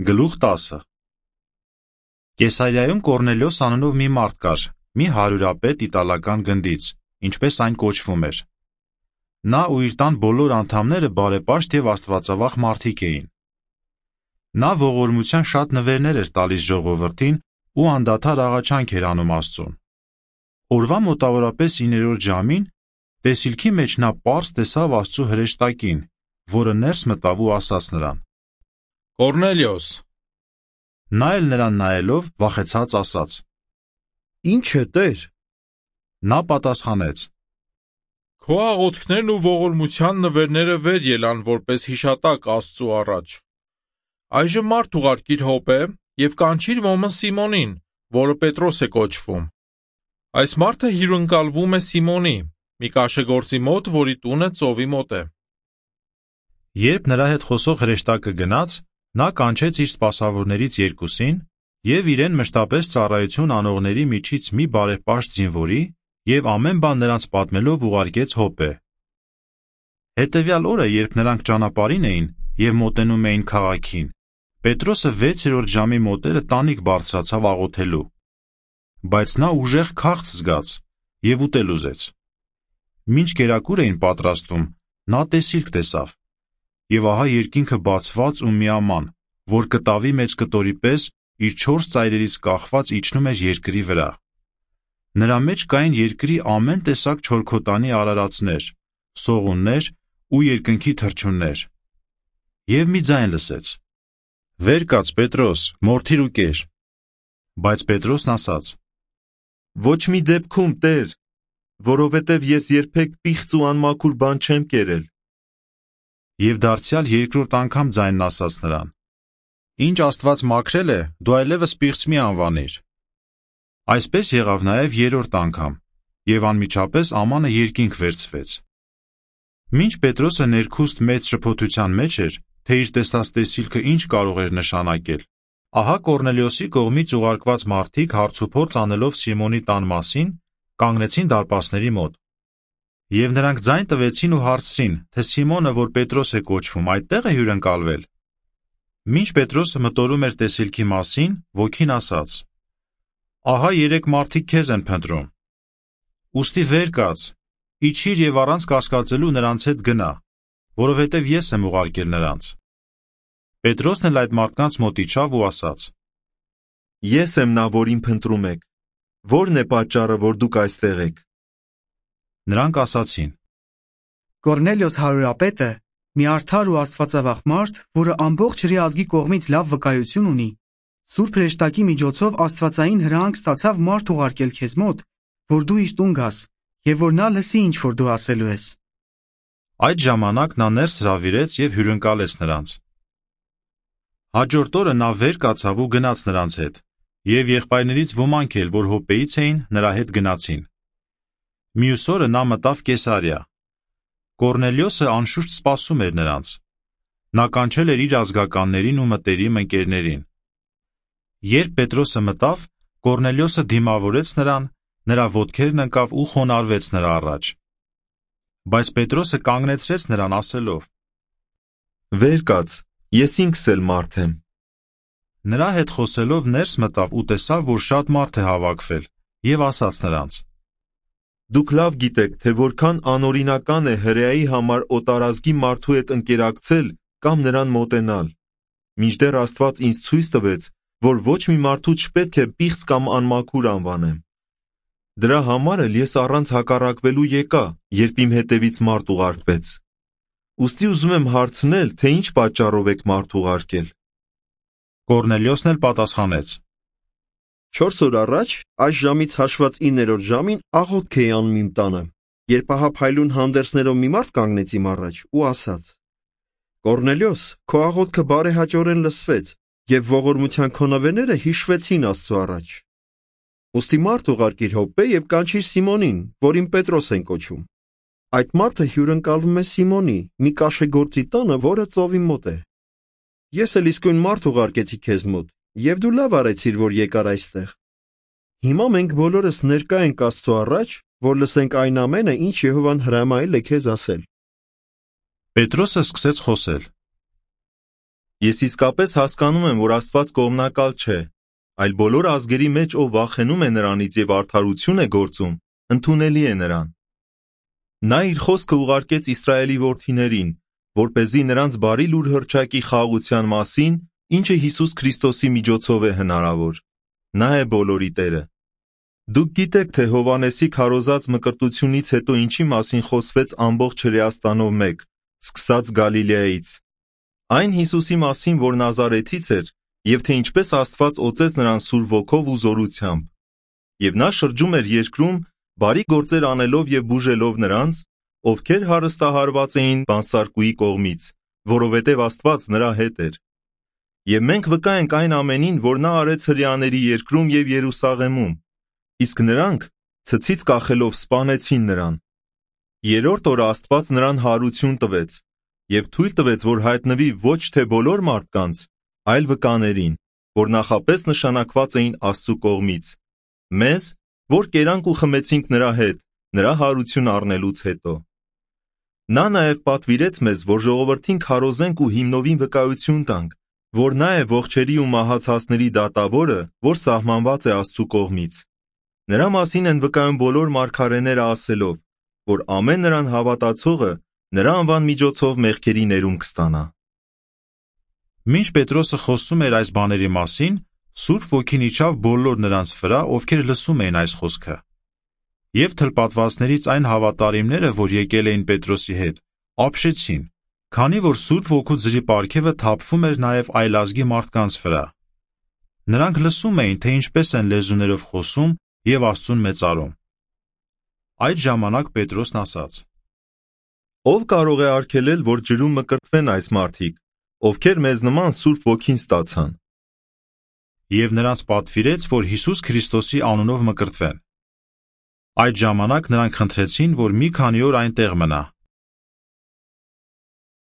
Գլուխ 10 Կեսարիայում Կորնելիոս անունով մի մարդ կար, մի հարյուրապետ իտալական գնդից, ինչպես այն կոչվում էր։ Նա ու իր տան բոլոր անդամները բարեպաշտ և աստվածավախ մարդիկ էին։ Նա ողորմության շատ նվերներ էր տալիս ժողովրդին ու անդադար աղաչանք էր անում Աստծուն։ Օրվա մոտավորապես 9-րդ ժամին տեսիլքի մեջ նա պարզ տեսավ Աստծու հրեշտակին, որը ներս մտավ ու ասաց նրան. Կորնելիոս։ Նա էլ նրան նայելով վախեցած ասաց. Ինչ է, Տեր։ Նա պատասխանեց. Քո աղոթքներն ու ողորմության նվերները վեր ելան որպես հիշատակ Աստծու առաջ։ Այժմ մարդ ուղարկիր Հոպե և կանչիր ոմն Սիմոնին, որը Պետրոս է կոչվում։ Այս մարդը հյուրընկալվում է Սիմոնի, մի կաշեգործի մոտ, որի տունը ծովի մոտ է։ Երբ նրա հետ խոսող հրեշտակը գնաց, նա կանչեց իր սպասավորներից երկուսին և իրեն մշտապես ծառայություն անողների միջից մի բարեպաշտ զինվորի և ամեն բան նրանց պատմելով ուղարկեց Հոպե։ Հետևյալ օրը, երբ նրանք ճանապարհին էին և մոտենում էին քաղաքին, Պետրոսը 6-րդ ժամի մոտերը տանիք բարձրացավ աղոթելու։ Բայց նա ուժեղ քաղց զգաց և ուտել ուզեց։ Մինչ կերակուր էին պատրաստում, նա տեսիլք տեսավ, և ահա երկինքը բացված ու միաման, որ կտավի մեծ կտորի պես իր 4 ծայրերից կախված իջնում էր երկրի վրա։ Նրա մեջ կային երկրի ամեն տեսակ չորքոտանի արարածներ, սողուններ ու երկնքի թռչուններ։ Եվ մի ձայն լսեց. «Վեր կաց, Պետրոս, մորթիր ու կեր»։ Բայց Պետրոսն ասաց. Ոչ մի դեպքում, Տեր, որովհետև ես երբեք պիղծ ու անմաքուր բան չեմ կերել։ Եվ դարձյալ երկրորդ անգամ ձայնն ասաց նրան. Ինչ Աստված մաքրել է, դու այլևս պիղծ մի անվանիր։ Այսպես եղավ նաև երրորդ անգամ, և անմիջապես ամանը երկինք վերցվեց։ Մինչ Պետրոսը ներքուստ մեծ շփոթության մեջ էր, թե իր տեսած տեսիլքը ինչ կարող էր նշանակել, ահա Կորնելիոսի կողմից ուղարկված մարդիկ հարցուփորձ անելով Սիմոնի տան մասին, կանգնեցին դարպասների մոտ։ Եվ նրանք ձայն տվեցին ու հարցրին, թե Սիմոնը, որ Պետրոս է կոչվում, այդտեղ է հյուրընկալվել։ Մինչ Պետրոսը մտորում էր տեսիլքի մասին, ոգին ասաց. Ահա 3 մարդիկ քեզ են փնտրում։ Ուստի վեր կաց, իջիր և առանց կասկածելու նրանց հետ գնա, որովհետև ես եմ ուղարկել նրանց։ Պետրոսն էլ այդ մարդկանց մոտ իջավ ու ասաց. Ես եմ նա, որին փնտրում եք։ Ո՞րն է պատճառը, որ դուք այստեղ եք։ Նրանք ասացին. Կորնելիոս հարյուրապետը, մի արդար ու աստվածավախ մարդ, որը ամբողջ հրի ազգի կողմից լավ վկայություն ունի, Սուրբ հրեշտակի միջոցով աստվածային հրահանգ ստացավ մարդ ուղարկել քեզ մոտ, որ դու իր տուն գաս, և որ նա լսի, ինչ որ դու ասելու ես։ Այդ ժամանակ նա ներս հրավիրեց և հյուրընկալեց նրանց։ Հաջորդ օրը նա վեր կացավ ու գնաց նրանց հետ, և եղբայրներից ոմանք էլ, որ Հոպեից էին, նրա հետ գնացին։ Մյուս օրը նա մտավ Կեսարիա։ Կորնելիոսը անշուշտ սպասում էր նրանց։ Նա կանչել էր իր ազգականներին ու մտերիմ ընկերներին։ Երբ Պետրոսը մտավ, Կորնելիոսը դիմավորեց նրան, նրա ոտքերն ընկավ ու խոնարհվեց նրա առաջ։ Բայց Պետրոսը կանգնեցրեց նրան ասելով. Վեր կաց, ես ինքս էլ մարդ եմ։ Նրա հետ խոսելով ներս մտավ ու տեսավ, որ շատ մարդ է հավաքվել, և ասաց նրանց. Դուք լավ գիտեք, թե որքան անօրինական է հրեայի համար օտարազգի մարդու հետ ընկերակցել կամ նրան մոտենալ, մինչդեռ Աստված ինձ ցույց տվեց, որ ոչ մի մարդու չպետք է պիղծ կամ անմաքուր անվանեմ։ Դրա համար էլ ես առանց հակառակվելու եկա, երբ իմ հետևից մարդ ուղարկվեց։ Ուստի ուզում եմ հարցնել, թե ինչ պատճառով եք մարդ ուղարկել։ Կորնելիոսն էլ պատասխանեց. 4 օր առաջ, այս ժամից հաշված 9-րդ ժամին աղոթք էի անում իմ տանը, երբ ահա փայլուն հանդերձներով մի մարդ կանգնեց իմ առաջ ու ասաց. Կորնելիոս, քո աղոթքը բարեհաճորեն լսվեց, և ողորմության քո նվերները հիշվեցին Աստծու առաջ։ Ուստի մարդ ուղարկիր Հոպե և կանչիր Սիմոնին, որին Պետրոս են կոչում։ Այդ մարդը հյուրընկալվում է Սիմոնի, մի կաշեգործի տանը, որը ծովի մոտ է։ Ես էլ իսկույն մարդ ուղարկեցի քեզ մոտ, և դու լավ արեցիր, որ եկար այստեղ։ Հիմա մենք բոլորս ներկա ենք Աստծու առաջ, որ լսենք այն ամենը, ինչ Եհովան հրամայել է քեզ ասել։ Պետրոսը սկսեց խոսել. Ես իսկապես հասկանում եմ, որ Աստված կողմնակալ չէ, այլ բոլոր ազգերի մեջ, ով վախենում է նրանից եւ արդարություն է գործում, ընդունելի է նրան։ Նա իր խոսքը ուղարկեց Իսրայելի որդիներին, որպեսզի նրանց բարի լուր հռչակի խաղաղության մասին, ինչը Հիսուս Քրիստոսի միջոցով է հնարավոր։ Նա է բոլորի Տերը։ Դուք գիտեք, թե Հովհաննեսի քարոզած մկրտությունից հետո ինչի մասին խոսվեց ամբողջ Հրեաստանով մեկ, սկսած Գալիլեայից։ Այն Հիսուսի մասին, որ Նազարեթից էր, եւ թե ինչպես Աստված օծեց նրան Սուրբ Ոգով ու զորությամբ։ Եվ նա շրջում էր երկրում, բարի գործեր անելով եւ բուժելով նրանց, ովքեր հարստահարված էին բանսարկուի կողմից, որովհետեւ Աստված նրա հետ էր։ Եվ մենք վկա ենք այն ամենին, որ նա արեց հրեաների երկրում եւ Երուսաղեմում, իսկ նրանք ցցից կախելով սպանեցին նրան։ Երրորդ օրը Աստված նրան հարություն տվեց եւ թույլ տվեց, որ հայտնվի ոչ թե բոլոր մարդկանց, այլ վկաներին, որ նախապես նշանակված էին Աստծու կողմից, մեզ, որ կերանք ու խմեցինք նրա հետ, նրա հարություն առնելուց հետո։ Նա նաև պատվիրեց մեզ, որ ժողովրդին քարոզենք ու հիմնովին վկայություն տանք, որ նա է ողջերի ու մահացածների դատավորը, որ սահմանված է Աստծու կողմից։ Նրա մասին են վկայում բոլոր մարգարեները ասելով, որ ամեն նրան հավատացողը նրա անվան միջոցով մեղքերի ներում կստանա։ Մինչ Պետրոսը խոսում էր այս բաների մասին, Սուրբ Ոգին իջավ բոլոր նրանց վրա, ովքեր լսում էին այս խոսքը։ Եվ թլպատվածներից այն հավատարիմները, որ եկել էին Պետրոսի հետ, ապշեցին, քանի որ Սուրբ Ոգու ձրի պարգևը թափվում էր նաև այլազգի մարդկանց վրա։ Նրանք լսում էին, թե ինչպես են լեզուներով խոսում եւ Աստծուն մեծարում։ Այդ ժամանակ Պետրոսն ասաց. Ով կարող է արգելել, որ ջրում մկրտվեն այս մարդիկ, ովքեր մեզ նման Սուրբ Ոգին ստացան։ Եվ նրանց պատվիրեց, որ Հիսուս Քրիստոսի անունով մկրտվեն։ Այդ ժամանակ նրանք խնդրեցին, որ մի քանի օր այնտեղ մնա։